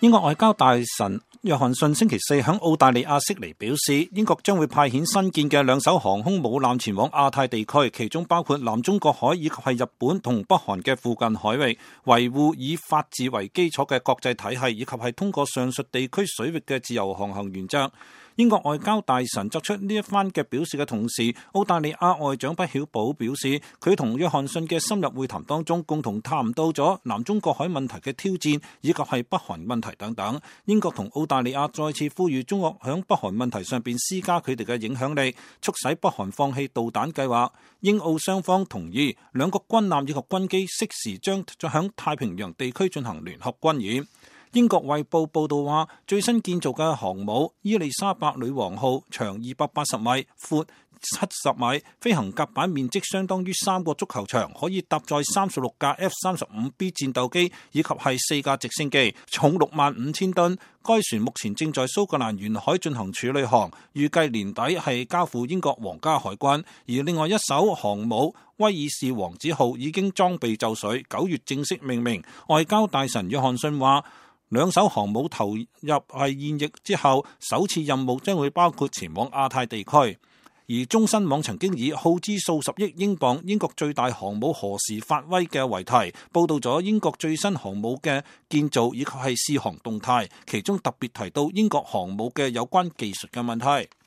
英國外交大臣約翰遜星期四響澳大利亞悉尼表示，英國將會派遣新建嘅2艘航空母艦前往亞太地區，其中包括南中國海以及係日本同北韓嘅附近海域，維護以法治為基礎嘅國際體系，以及係通過上述地區水域嘅自由航行原則。英國外交大臣作出呢一番嘅表示嘅同時，澳大利亞外長畢曉保表示，佢同約翰遜嘅深入會談當中，共同談到咗南中國海問題嘅挑戰，以及係北韓問題等等。英國同澳大利亞再次呼籲中國響北韓問題上邊施加佢哋嘅影響力，促使北韓放棄導彈計劃。英澳雙方同意兩國軍艦以及軍機適時將響太平洋地區進行聯合軍演。英國衛報報道話，最新建造嘅航母伊麗莎白女王號長280米，闊70米，飛行甲板面積相當於3個足球場，可以搭載36架 F-35B 戰鬥機以及係4架直升機，重65000噸。該船目前正在蘇格蘭沿海進行處理航，預計年底係交付英國皇家海軍。而另外一艘航母威爾士王子號已經裝備就緒，9月正式命名。外交大臣約翰遜話，2艘航母投入係現役之後，首次任務將會包括前往亞太地區。而中新網曾經以耗資數十億英鎊英國最大航母何時發威嘅為題，報道咗英國最新航母嘅建造以及係試航動態，其中特別提到英國航母嘅有關技術嘅問題。